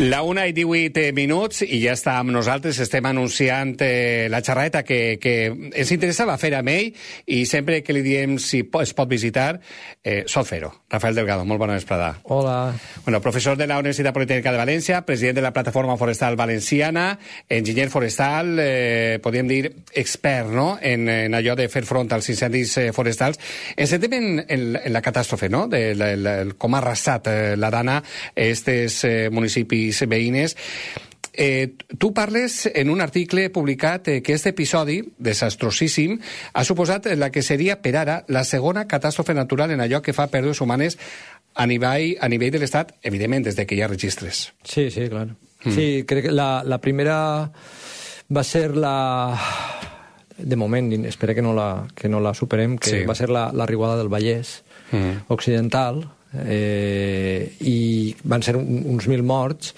La 1:18 i ja està amb nosaltres. Estem anunciant la xerreta que ens interessava fer amb ell i sempre que li diem si es pot visitar, sol fer-ho. Rafael Delgado, molt bona vesprada. Hola. Bueno, professor de la Universitat Politécnica de València, president de la Plataforma Forestal Valenciana, enginyer forestal, podríem dir expert, no?, en allò de fer front als incendis forestals. Ens centrem en la catàstrofe, no?, de com ha arrasat la dana estes municipis veïnes. Tu parles en un article publicat que aquest episodi desastrosíssim ha suposat la que seria per ara la segona catàstrofe natural en allò que fa pèrdues humanes a nivell de l'Estat, evidentment des de que hi ha registres. Sí, clar. Sí, crec que la primera va ser de moment, espero que no la superem, que va ser la riuada del Vallès Occidental, i van ser uns 1.000 morts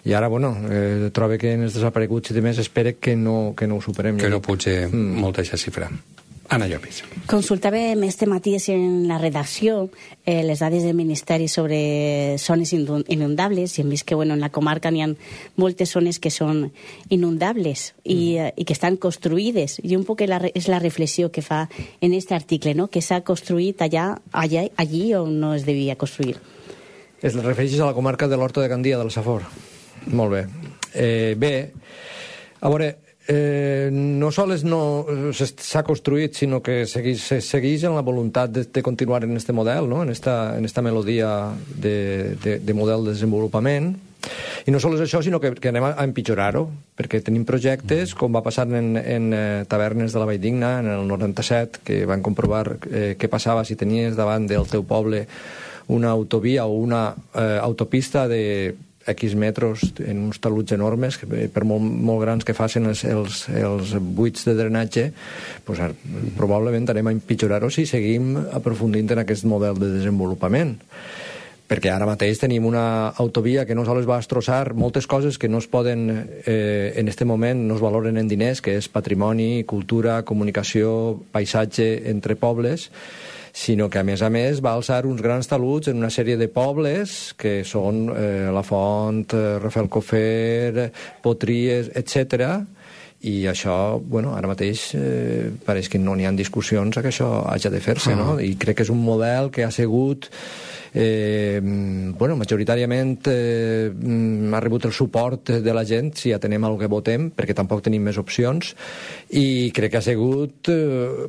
i ara, trobo que en els desapareguts i demés espero que no ho superem. Que no pugi molta aquesta xifra. Anna Llopis. Consultàvem este matí en la redacció les dades del Ministeri sobre zones inundables i hem vist que en la comarca n'hi ha moltes zones que són inundables i que estan construïdes, i un poc és la reflexió que fa en aquest article, no?, que s'ha construït allí on no es devia construir. Es refereixes a la comarca de l'Horta de Gandia, de la Safor. Molt bé. Bé, a veure, no sols no s'ha construït, sinó que segueix en la voluntat de continuar en este model, no?, en esta melodia de model de desenvolupament. I no sols això, sinó que anem a empitjorar-ho, perquè tenim projectes, com va passar en tavernes de la Valldigna en el 97, que van comprovar què passava si tenies davant del teu poble una autovia o una autopista de X metres en uns taluts enormes, per molt grans que facin els buits de drenatge, probablement anem a empitjorar-ho si seguim aprofundint en aquest model de desenvolupament. Perquè ara mateix tenim una autovia que no sols va destrossar moltes coses que no es poden, en aquest moment, no es valoren en diners, que és patrimoni, cultura, comunicació, paisatge entre pobles, sinó que, a més, va alçar uns grans taluts en una sèrie de pobles que són La Font, Rafelcofer, Potries, etc. I això, ara mateix pareix que no n'hi ha discussions que això hagi de fer-se, no? I crec que és un model que ha sigut majoritàriament ha rebut el suport de la gent, si atenem al que votem, perquè tampoc tenim més opcions, i crec que ha sigut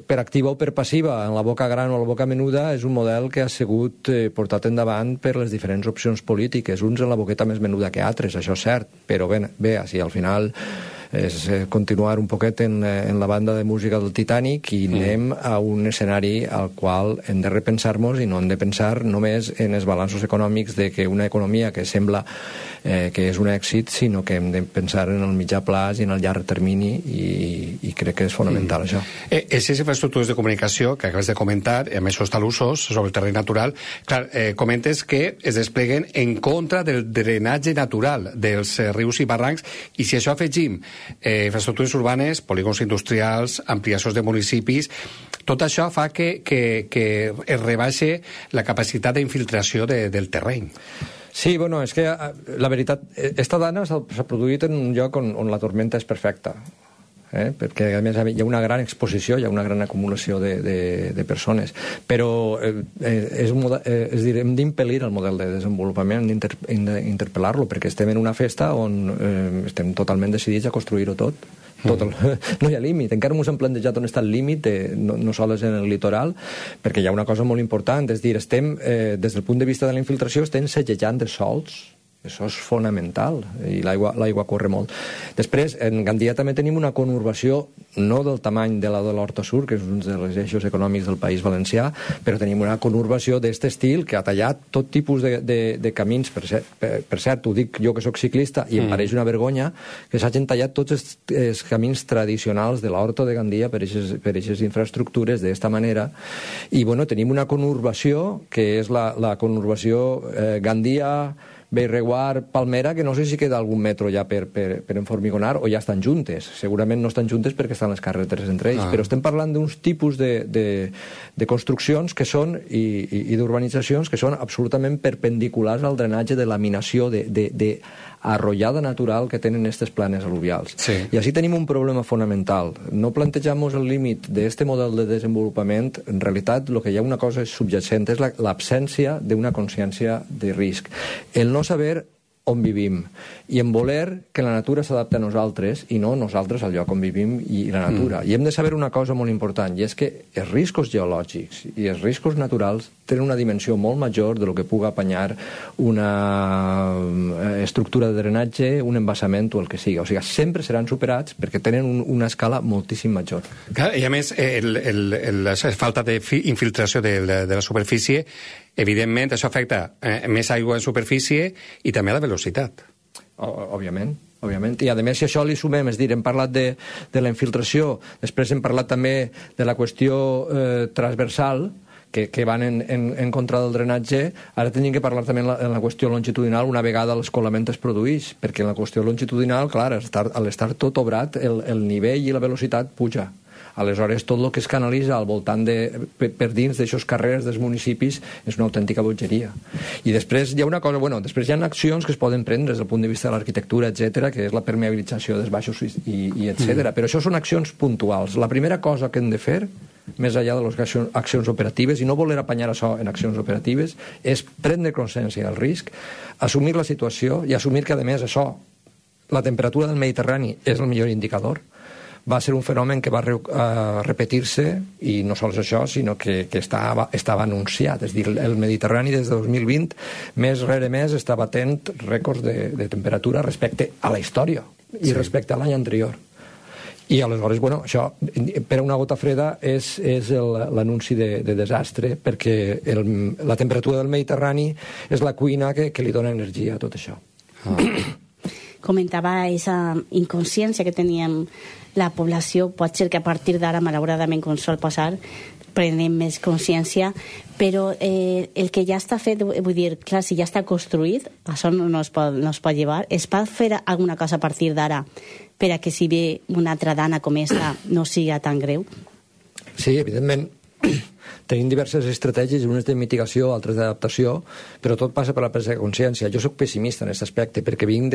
per activa o per passiva, en la boca gran o la boca menuda, és un model que ha sigut portat endavant per les diferents opcions polítiques, uns en la boqueta més menuda que altres, això és cert, però bé, si al final és continuar un poquet en la banda de música del Titanic i anem a un escenari al qual hem de repensar-nos i no hem de pensar només en els balanços econòmics de que una economia que sembla que és un èxit, sinó que hem de pensar en el mitjà plaç i en el llarg termini, i crec que és fonamental això. Aquestes infraestructures de comunicació que acabes de comentar, amb aquests talussos sobre el terreny natural, clar, comentes que es despleguen en contra del drenatge natural dels rius i barrancs, i si això afegim infraestructures urbanes, polígons industrials, ampliacions de municipis, tot això fa que es rebaixe la capacitat d'infiltració del terreny. Sí, és que la veritat, esta dana s'ha produït en un lloc on la tormenta és perfecta, perquè a més hi ha una gran exposició, hi ha una gran acumulació de persones, però hem d'impedir el model de desenvolupament, hem d'interpel·lar-lo, perquè estem en una festa on estem totalment decidits a construir-ho tot. No hi ha límit, encara no ens hem plantejat on està el límit, no sols en el litoral, perquè hi ha una cosa molt important, és dir, estem, des del punt de vista de la infiltració, estem segellant els sòls. Això és fonamental, i l'aigua corre molt. Després, en Gandia també tenim una conurbació, no del tamany de la de l'Horta Sur, que és un dels eixos econòmics del País Valencià, però tenim una conurbació d'aquest estil que ha tallat tot tipus de camins. Per cert, ho dic jo que sóc ciclista, i em pareix una vergonya que s'hagin tallat tots els camins tradicionals de l'Horta de Gandia per aquestes infraestructures d'aquesta manera. I, tenim una conurbació, que és la conurbació Gandia, Bellreguard, Palmera, que no sé si queda algun metro ja per enformigonar o ja estan juntes. Segurament no estan juntes perquè estan les carreteres entre ells, però estem parlant d'uns tipus de construccions que són i d'urbanitzacions que són absolutament perpendiculars al drenatge de laminació, arrollada natural que tenen aquestes planes al·luvials. Sí. I així tenim un problema fonamental. No plantejamos el límit d'aquest model de desenvolupament. En realitat, el que hi ha una cosa subjacent és l'absència d'una consciència de risc. El no saber on vivim i en voler que la natura s'adapti a nosaltres i no nosaltres al lloc on vivim i la natura. I hem de saber una cosa molt important, i és que els riscos geològics i els riscos naturals tenen una dimensió molt major de lo que puga apanyar una estructura de drenatge, un embassament o el que sigui. O sigui, sempre seran superats perquè tenen una escala moltíssim major. Clar, i a més, la falta d'infiltració de la superfície, evidentment, això afecta més aigua en superfície i també a la velocitat. Òbviament. I a més, si això li sumem, és dir, hem parlat de la infiltració, després hem parlat també de la qüestió transversal, que van en contra del drenatge, ara tenim que parlar també en la qüestió longitudinal una vegada l'escolament es produeix, perquè en la qüestió longitudinal, clar, al estar tot obrat, el nivell i la velocitat puja. Aleshores, tot el que es canalitza al voltant per dins d'aixòs carrers dels municipis és una autèntica bogeria. I després hi ha una cosa, després hi ha accions que es poden prendre des del punt de vista de l'arquitectura, etc, que és la permeabilització dels baixos i etc. Però això són accions puntuals. La primera cosa que hem de fer, més enllà de les accions operatives, i no voler apanyar això en accions operatives, és prendre consciència del risc, assumir la situació i assumir que, a més, això, la temperatura del Mediterrani és el millor indicador. Va ser un fenomen que va repetir-se, i no sols això, sinó que estava anunciat. És dir, el Mediterrani des de 2020, més rere més, està batent rècords de temperatura respecte a la història i respecte a l'any anterior. I aleshores, això, per a una gota freda, és l'anunci de desastre, perquè la temperatura del Mediterrani és la cuina que li dona energia a tot això. Comentava aquesta inconsciència que teníem la població. Pot ser que a partir d'ara, malauradament, com sol passar, prenem més consciència, però el que ja està fet, vull dir, clar, si ja està construït, això no es pot llevar. Es pot fer alguna cosa a partir d'ara per a que si ve una altra dana com aquesta no siga tan greu? Sí, evidentment. Tenim diverses estratègies, unes de mitigació, altres d'adaptació, però tot passa per la presa de consciència. Jo soc pessimista en aquest aspecte, perquè vinc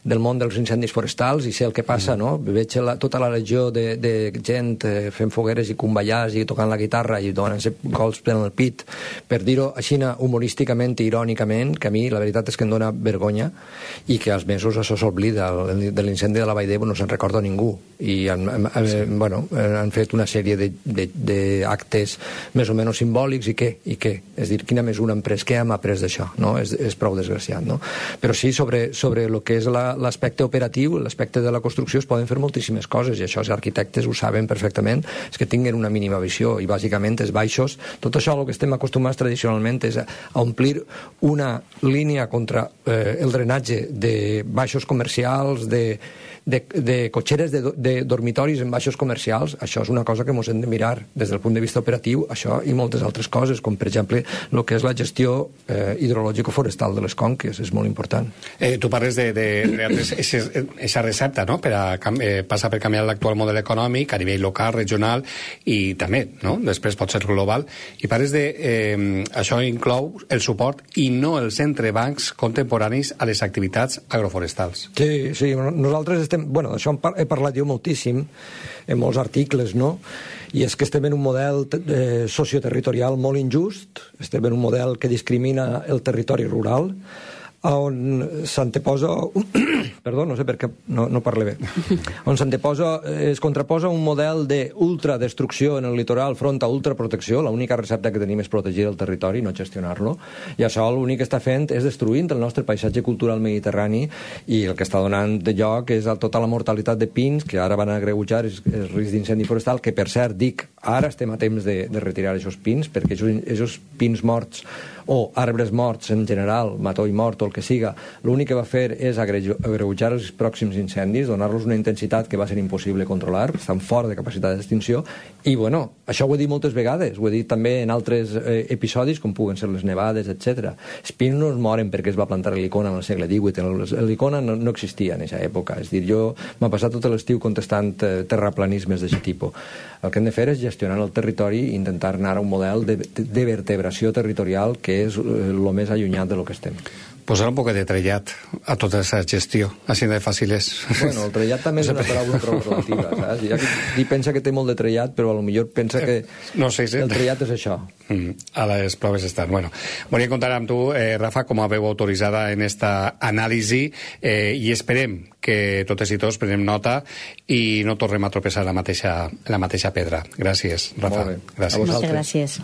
del món dels incendis forestals i sé el que passa, no? Veig tota la legió de gent fent fogueres i convallars i tocant la guitarra i donant-se colps en el pit, per dir-ho així humorísticament i irònicament, que a mi la veritat és que em dona vergonya, i que als mesos això s'oblida. De l'incendi de la Vall d'Ebo no se'n recorda ningú, i han fet una sèrie d'actes més o menys simbòlics, i què? És dir, quina mesura han pres? Què hem après d'això? No? És prou desgraciat, no? Però sí, sobre el que és l'aspecte operatiu, l'aspecte de la construcció, es poden fer moltíssimes coses, i això els arquitectes ho saben perfectament, és que tinguin una mínima visió, i bàsicament els baixos, tot això el que estem acostumats tradicionalment és a omplir una línia contra el drenatge de baixos comercials, de cotxeres de dormitoris en baixos comercials. Això és una cosa que ens hem de mirar des del punt de vista operatiu, això i moltes altres coses, com per exemple el que és la gestió hidrològico-forestal de les conques, és molt important. Tu parles d'aquesta recepta, no?, per a passar per canviar l'actual model econòmic a nivell local, regional i també, no?, després pot ser global, i parles de això inclou el suport i no els entrebancs contemporanis a les activitats agroforestals. Sí, nosaltres d'això he parlat jo moltíssim en molts articles, no? I és que estem en un model socioterritorial molt injust, estem en un model que discrimina el territori rural, on s'anteposa perdó, no sé per què no parlo bé, on es contraposa un model d'ultradestrucció en el litoral front a ultraprotecció. L'única recepta que tenim és protegir el territori, no gestionar-lo, i això l'únic que està fent és destruint el nostre paisatge cultural mediterrani, i el que està donant de lloc és tota la mortalitat de pins, que ara van agreujar el risc d'incendi forestal, que per cert dic, ara estem a temps de retirar aquests pins, perquè aquests pins morts o arbres morts en general, matoll mort o el que siga, l'únic que va fer és agreujar els pròxims incendis, donar-los una intensitat que va ser impossible controlar, estan fora de capacitat d'extinció, i això ho he dit moltes vegades, ho he dit també en altres episodis, com puguen ser les nevades, etc. Els pins no es moren perquè es va plantar l'helicona en el segle XVIII, l'helicona no existia en aquesta època, és dir, jo m'he passat tot l'estiu contestant terraplanismes d'aquest tipus. El que hem de fer és gestionar el territori i intentar anar a un model de vertebració territorial que és el més allunyat de lo que estem. Posar un poc de trellat a tota aquesta gestió, així de fàcil és. Bueno, el trellat també és una paraula prou relativa, saps? Hi ha qui pensa que té molt de trellat, però potser pensa que no sé si... el trellat és això. A les proves estan. Bueno, volia comptar amb tu, Rafa, com a veu autoritzada en esta anàlisi, i esperem que totes i tots prenem nota i no tornem a tropeçar la mateixa pedra. Gràcies, Rafa. Molt bé. Gràcies. Moltes gràcies.